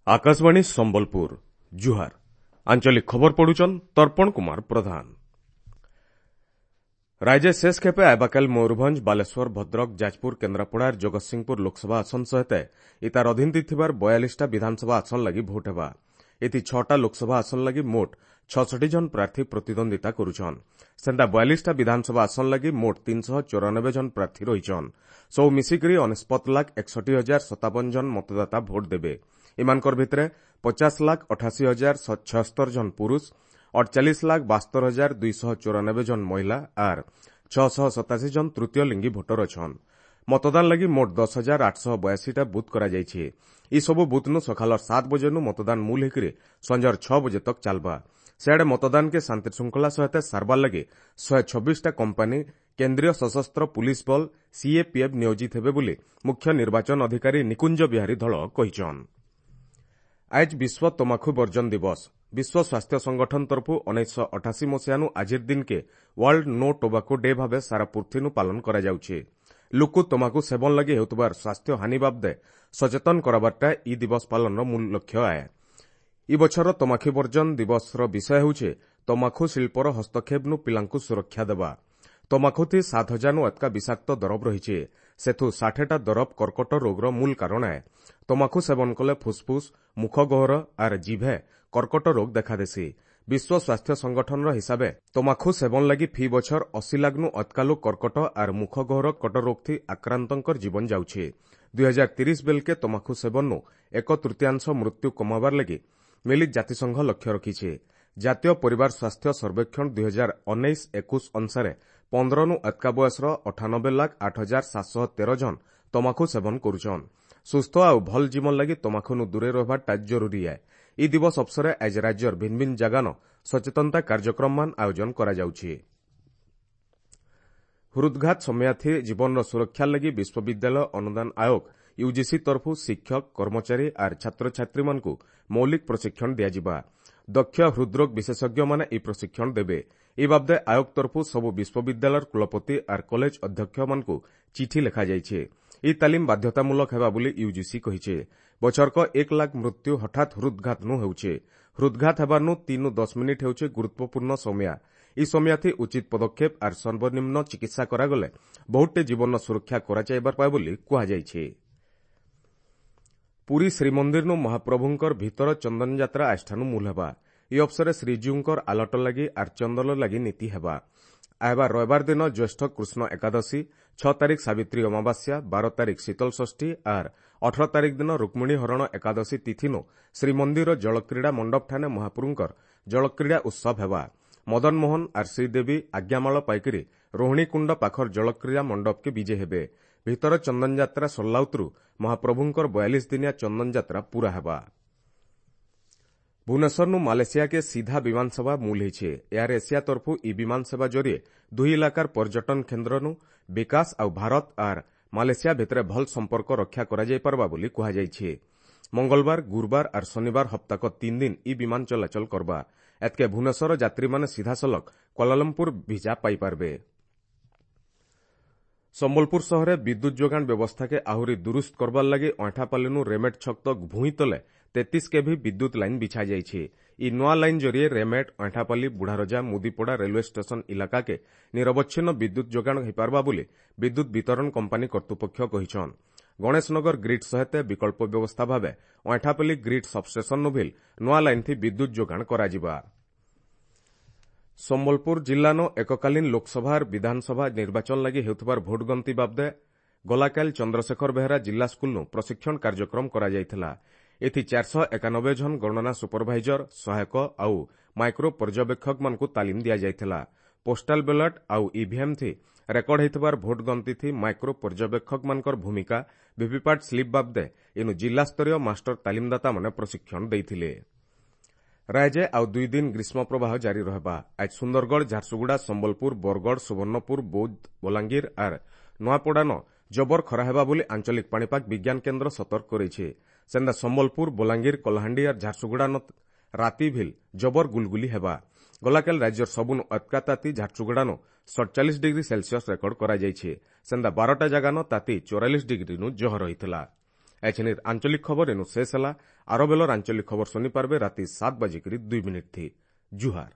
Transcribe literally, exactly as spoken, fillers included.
ଆକାଶବାଣୀ ସମ୍ବଲପୁର ଜୁହାର ଆଞ୍ଚଳିକ ଖବର ପଢୁଛନ୍ ତର୍ପଣ କୁମାର ପ୍ରଧାନ ରାଜ୍ୟ ଶେଷ ଖେପେ ଆଇବାକାଲ ମୟୂରଭଞ୍ଜ ବାଲେଶ୍ୱର ଭଦ୍ରକ ଯାଜପୁର କେନ୍ଦ୍ରାପଡ଼ା ଜଗତସିଂହପୁର ଲୋକସଭା ଆସନ ସହିତ ଇତାର ଅଧୀନରେ ଥିବାର ବୟାଳିଶଟା ବିଧାନସଭା ଆସନ ଲାଗି ଭୋଟ ହେବା ଏଥି ଛଅଟା ଲୋକସଭା ଆସନ ଲାଗି ମୋଟ ଛଅଷଠି ଜଣ ପ୍ରାର୍ଥୀ ପ୍ରତିଦ୍ୱନ୍ଦିତା କରୁଛନ୍ ସେନ୍ତା ବୟାଳିଶଟା ବିଧାନସଭା ଆସନ ଲାଗି ମୋଟ ତିନିଶହ ଚଉରାନବେ ଜଣ ପ୍ରାର୍ଥୀ ରହିଛନ୍ ସବୁ ମିଶିକରି ଅନେଶତ ଲାଖ ଏକଷଠି ହଜାର ସତାବନ ଜଣ ମତଦାତା ଭୋଟ ଦେବେ ଏମାନଙ୍କର ଭିତରେ ପଚାଶ ଲାଖ ଅଠାଅଶୀ ହଜାର ଛଅସ୍ତର ଜଣ ପୁରୁଷ ଅଠଚାଳିଶ ଲାଖ ବାସ୍ତର ହଜାର ଦୁଇଶହ ଚଉରାନବେ ଜଣ ମହିଳା ଆର୍ ଛଅଶହ ସତାଅଶୀ ଜଣ ତୃତୀୟ ଲିଙ୍ଗୀ ଭୋଟର ଅଛନ୍ ମତଦାନ ଲାଗି ମୋଟ ଦଶ ହଜାର ଆଠଶହ ବୟାଅଶୀଟା ବୁଥ୍ କରାଯାଇଛି ଏସବୁ ବୁଥ୍ନୁ ସକାଳର ସାତ ବଜେନୁ ମତଦାନ ମୂଲ ହେଇକରି ସଞ୍ଜର ଛଅ ବଜେ ତକ୍ ଚାଲବା ସିଆଡ଼େ ମତଦାନକେ ଶାନ୍ତିଶୃଙ୍ଖଳା ସହିତ ସାରବାର ଲାଗି ଶହେ ଛବିଶଟା କମ୍ପାନୀ କେନ୍ଦ୍ରୀୟ ସଶସ୍ତ୍ର ପୁଲିସ ବଳ ସିଏପିଏଫ୍ ନିୟୋଜିତ ହେବେ ବୋଲି ମୁଖ୍ୟ ନିର୍ବାଚନ ଅଧିକାରୀ ନିକୁଞ୍ଜ ବିହାରୀ ଧଳ କହିଛନ୍ ଆଜ୍ ବିଶ୍ୱ ତମାଖୁ ବର୍ଜନ ଦିବସ ବିଶ୍ୱ ସ୍ୱାସ୍ଥ୍ୟ ସଂଗଠନ ତରଫରୁ ଉଣେଇଶହ ଅଠାଅଶୀ ମସିହାନୁ ଆଜିର ଦିନକେ ୱାର୍ଲଡ ନୋ ଟୋବାକୋ ଡେ ଭାବେ ସାରା ପୃଥିବୀନୁ ପାଳନ କରାଯାଉଛି ଲୁକୁ ତମାଖୁ ସେବନ ଲାଗି ହେଉଥିବାର ସ୍ୱାସ୍ଥ୍ୟ ହାନି ବାବଦେ ସଚେତନ କରାବାରଟା ଇ ଦିବସ ପାଳନର ମୂଳ ଲକ୍ଷ୍ୟ ଆଏ ଇ ବଛରର ତମାଖୁ ବର୍ଜନ ଦିବସର ବିଷୟ ହେଉଛି ତମାଖୁ ଶିଳ୍ପର ହସ୍ତକ୍ଷେପନୁ ପିଲାଙ୍କୁ ସୁରକ୍ଷା ଦେବା ତମାଖୁଥି ସାତ ହଜାରନୁ ଅତକା ବିଷାକ୍ତ ଦରବ ରହିଛି ସେଥୁ ଷାଠେଟା ଦରବ କର୍କଟ ରୋଗର ମୂଳ କାରଣ ଏ ତମାଖୁ ସେବନ କଲେ ଫୁସଫୁସ ମୁଖ ଗହ୍ୱର ଆର୍ ଜିଭେ କର୍କଟ ରୋଗ ଦେଖାଦେସି ବିଶ୍ୱ ସ୍ୱାସ୍ଥ୍ୟ ସଂଗଠନର ହିସାବେ ତମାଖୁ ସେବନ ଲାଗି ଫି ବଛର ଅଶୀ ଲାଖନୁ ଅତକା ଲୋକ କର୍କଟ ଆର୍ ମୁଖ ଗହ୍ୱର କଟ ରୋଗଥି ଆକ୍ରାନ୍ତଙ୍କର ଜୀବନ ଯାଉଛି ଦୁଇ ହଜାର ତିରିଶ ବେଲକେ ତମାଖୁ ସେବନୁ ଏକ ତୃତୀୟାଂଶ ମୃତ୍ୟୁ କମାବାର ଲାଗି ମିଳିତ ଜାତିସଂଘ ଲକ୍ଷ୍ୟ ରଖିଛି ଜାତୀୟ ପରିବାର ସ୍ୱାସ୍ଥ୍ୟ ସର୍ବେକ୍ଷଣ ଦୁଇ ହଜାର ଉଣେଇଶ ଏକୋଇଶ ଅନୁସାରେ ପନ୍ଦରନୁ ଅତକା ବୟସର ଅଠାନବେ ଲାଖ ଆଠ ହଜାର ସାତଶହ ତେର ଜଣ ତମାଖୁ ସେବନ କରୁଛନ୍ ସୁସ୍ଥ ଆଉ ଭଲ ଜୀବନ ଲାଗି ତମାଖୁନୁ ଦୂରେ ରହିବାଟା ଜରୁରୀ ଏ ଇ ଦିବସ ଅବସରେ ଆଜି ରାଜ୍ୟର ଭିନ୍ନ ଭିନ୍ନ ଜାଗାନ ସଚେତନତା କାର୍ଯ୍ୟକ୍ରମମାନ ଆୟୋଜନ କରାଯାଉଛି ହୃଦଘାତ ସମୟାଥି ଜୀବନର ସୁରକ୍ଷା ଲାଗି ବିଶ୍ୱବିଦ୍ୟାଳୟ ଅନୁଦାନ ଆୟୋଗ ୟୁଜିସି ତରଫରୁ ଶିକ୍ଷକ କର୍ମଚାରୀ ଆର୍ ଛାତ୍ରଛାତ୍ରୀମାନଙ୍କୁ ମୌଳିକ ପ୍ରଶିକ୍ଷଣ ଦିଆଯିବା ଦକ୍ଷ ହୃଦରୋଗ ବିଶେଷଜ୍ଞମାନେ ଏହି ପ୍ରଶିକ୍ଷଣ ଦେବେ ଏ ବାବଦେ ଆୟୋଗ ତରଫରୁ ସବୁ ବିଶ୍ୱବିଦ୍ୟାଳୟର କୁଳପତି ଆର୍ କଲେଜ ଅଧ୍ୟକ୍ଷମାନଙ୍କୁ ଚିଠି ଲେଖାଯାଇଛି ଏହି ତାଲିମ ବାଧ୍ୟତାମୂଳକ ହେବା ବୋଲି ୟୁଜିସି କହିଛି ବଛରକ ଏକ ଲାଖ ମୃତ୍ୟୁ ହଠାତ୍ ହୃଦଘାତନୁ ହେଉଛି ହୃଦଘାତ ହେବାରନୁ ତିନୁ ଦଶ ମିନିଟ୍ ହେଉଛି ଗୁରୁତ୍ୱପୂର୍ଣ୍ଣ ସମୟ ଏହି ସମୟାଥି ଉଚିତ ପଦକ୍ଷେପ ଆର୍ ସର୍ବନିମ୍ନ ଚିକିତ୍ସା କରାଗଲେ ବହୁତଟେ ଜୀବନର ସୁରକ୍ଷା କରାଯାଇପାରବା ବୋଲି କୁହାଯାଇଛି ପୁରୀ ଶ୍ରୀମନ୍ଦିରନୁ ମହାପ୍ରଭୁଙ୍କର ଭିତର ଚନ୍ଦନ ଯାତ୍ରା ଆଜିଠାନୁ ମୂଲ ହେବା ଏହି ଅବସରେ ଶ୍ରୀଜୀଉଙ୍କର ଆଲଟ ଲାଗି ଆର୍ ଚନ୍ଦନ ଲାଗି ନୀତି ହେବା ଆଇବା ରବିବାର ଦିନ ଜ୍ୟେଷ୍ଠ କୃଷ୍ଣ ଏକାଦଶୀ ଛଅ ତାରିଖ ସାବିତ୍ରୀ ଅମାବାସ୍ୟା ବାର ତାରିଖ ଶୀତଳ ଷଷ୍ଠୀ ଆର୍ ଅଠର ତାରିଖ ଦିନ ରୁକ୍ମିଣୀ ହରଣ ଏକାଦଶୀ ତିଥିନୁ ଶ୍ରୀମନ୍ଦିର ଜଳକ୍ରୀଡ଼ା ମଣ୍ଡପଠାନେ ମହାପ୍ରଭୁଙ୍କର ଜଳକ୍ରୀଡ଼ା ଉତ୍ସବ ହେବା ମଦନମୋହନ ଆର୍ ଶ୍ରୀଦେବୀ ଆଜ୍ଞାମାଳ ପାଇକରି ରୋହିଣୀକୁଣ୍ଡ ପାଖର ଜଳକ୍ରୀଡ଼ା ମଣ୍ଡପକେ ବିଜେ ହେବେ ଭିତର ଚନ୍ଦନଯାତ୍ରା ସରିଲା ଉତରୁ ମହାପ୍ରଭୁଙ୍କର ବୟାଳିଶ ଦିନିଆ ଚନ୍ଦନଯାତ୍ରା ପୂରା ହେବା ଭୁବନେଶ୍ୱରନୁ ମାଲେସିଆକେ ସିଧା ବିମାନ ସେବା ମୂଲ ହେଇଛେ ଏୟାର ଏସିଆ ତରଫରୁ ଇ ବିମାନ ସେବା ଜରିଏ ଦୁଇ ଇଲାକାର ପର୍ଯ୍ୟଟନ କେନ୍ଦ୍ରନୁ ବିକାଶ ଆଉ ଭାରତ ଆର୍ ମାଲେସିଆ ଭିତରେ ଭଲ ସମ୍ପର୍କ ରକ୍ଷା କରାଯାଇପାରବା ବୋଲି କୁହାଯାଇଛି ମଙ୍ଗଳବାର ଗୁରୁବାର ଆର୍ ଶନିବାର ହପ୍ତାକ ତିନି ଦିନ ଇ ବିମାନ ଚଳାଚଳ କରବା ଏତ୍କେ ଭୁବନେଶ୍ୱର ଯାତ୍ରୀମାନେ ସିଧାସଳଖ କ୍ୱାଲାଲମ୍ପୁର ଭିଜା ପାଇପାରବେ ସମ୍ବଲପୁର ସହରରେ ବିଦ୍ୟୁତ୍ ଯୋଗାଣ ବ୍ୟବସ୍ଥାକେ ଆହୁରି ଦୁରୁସ୍ତ କରବାର ଲାଗି ଅଇଁଠାପାଲିନୁ ରେମେଟ୍ ଛକ ତକ୍ ଭୂଇଁ ତଲେ ତେତିଶ କେଭି ବିଦ୍ୟୁତ୍ ଲାଇନ୍ ବିଛାଯାଇଛି ଇ ନୂଆ ଲାଇନ୍ ଜରିଏ ରେମେଟ୍ ଅଇଁଠାପାଲି ବୁଢ଼ାରଜା ମୁଦିପଡ଼ା ରେଲୱେ ଷ୍ଟେସନ ଇଲାକାକେ ନିରବଚ୍ଛିନ୍ନ ବିଦ୍ୟୁତ୍ ଯୋଗାଣ ହୋଇପାରବା ବୋଲି ବିଦ୍ୟୁତ୍ ବିତରଣ କମ୍ପାନୀ କର୍ତ୍ତୃପକ୍ଷ କହିଛନ୍ ଗଣେଶନଗର ଗ୍ରିଡ୍ ସହିତ ବିକଳ୍ପ ବ୍ୟବସ୍ଥା ଭାବେ ଅଇଁଠାପାଲି ଗ୍ରିଡ୍ ସବଷ୍ଟେସନନୁ ଭିଲ୍ ନୂଆ ଲାଇନ୍ଥି ବିଦ୍ୟୁତ୍ ଯୋଗାଣ କରାଯିବା ସମ୍ବଲପୁର ଜିଲ୍ଲାନ ଏକକାଳୀନ ଲୋକସଭା ଆର୍ ବିଧାନସଭା ନିର୍ବାଚନ ଲାଗି ହେଉଥିବାର ଭୋଟ ଗଣତି ବାବଦେ ଗଲାକାଲି ଚନ୍ଦ୍ରଶେଖର ବେହେରା ଜିଲ୍ଲା ସ୍କୁଲନୁ ପ୍ରଶିକ୍ଷଣ କାର୍ଯ୍ୟକ୍ରମ କରାଯାଇଥିଲା ଏଥି ଚାରିଶହ ଏକାନବେ ଜଣ ଗଣନା ସୁପରଭାଇଜର ସହାୟକ ଆଉ ମାଇକ୍ରୋ ପର୍ଯ୍ୟବେକ୍ଷକମାନଙ୍କୁ ତାଲିମ ଦିଆଯାଇଥିଲା ପୋଷ୍ଟାଲ ବ୍ୟାଲଟ୍ ଆଉ ଇଭିଏମ୍ ଥି ରେକର୍ଡ ହେଇଥିବାର ଭୋଟ ଗଣତିଥି ମାଇକ୍ରୋ ପର୍ଯ୍ୟବେକ୍ଷକମାନଙ୍କର ଭୂମିକା ଭିଭିପାଟ୍ ସ୍ଲିପ୍ ବାବଦେ ଇନୁ ଜିଲ୍ଲାସ୍ତରୀୟ ମାଷ୍ଟର ତାଲିମଦାତାମାନେ ପ୍ରଶିକ୍ଷଣ ଦେଇଥିଲେ ରାଜ୍ୟ ଆଉ ଦୁଇ ଦିନ ଗ୍ରୀଷ୍ମ ପ୍ରବାହ ଜାରି ରହିବା ଆଜି ସୁନ୍ଦରଗଡ଼ ଝାରସୁଗୁଡ଼ା ସମ୍ବଲପୁର ବରଗଡ଼ ସୁବର୍ଣ୍ଣପୁର ବୌଦ୍ଧ ବଲାଙ୍ଗୀର ଆର୍ ନୂଆପଡ଼ାନ ଜବର ଖରା ହେବା ବୋଲି ଆଞ୍ଚଳିକ ପାଣିପାଗ ବିଜ୍ଞାନ କେନ୍ଦ୍ର ସତର୍କ କରିଛି ସେନ୍ତା ସମ୍ବଲପୁର ବଲାଙ୍ଗୀର କଳାହାଣ୍ଡି ଆର୍ ଝାରସୁଗୁଡ଼ା ରାତି ଭିଲ୍ ଜବର ଗୁଲଗୁଲି ହେବା ଗଲାକାଲି ରାଜ୍ୟର ସବୁନୁ ଅତକା ତାତି ଝାରସୁଗୁଡ଼ାନ ସତଚାଳିଶ ଡିଗ୍ରୀ ସେଲସିୟସ୍ ରେକର୍ଡ କରାଯାଇଛି ସେନ୍ତା ବାରଟା ଜାଗାନ ତାତି ଚଉରାଳିଶ ଡିଗ୍ରୀନୁ ଜହ ରହିଥିଲା ଏଛେନିର୍ ଆଞ୍ଚଳିକ ଖବର ଏନୁ ଶେଷ ହେଲା। ଆର ବେଲର ଆଞ୍ଚଳିକ ଖବର ଶୁନି ପାରବେ ରାତି ସାତ ବାଜିକରି ଦୁଇ ମିନିଟ୍ ଥି। ଜୁହାର।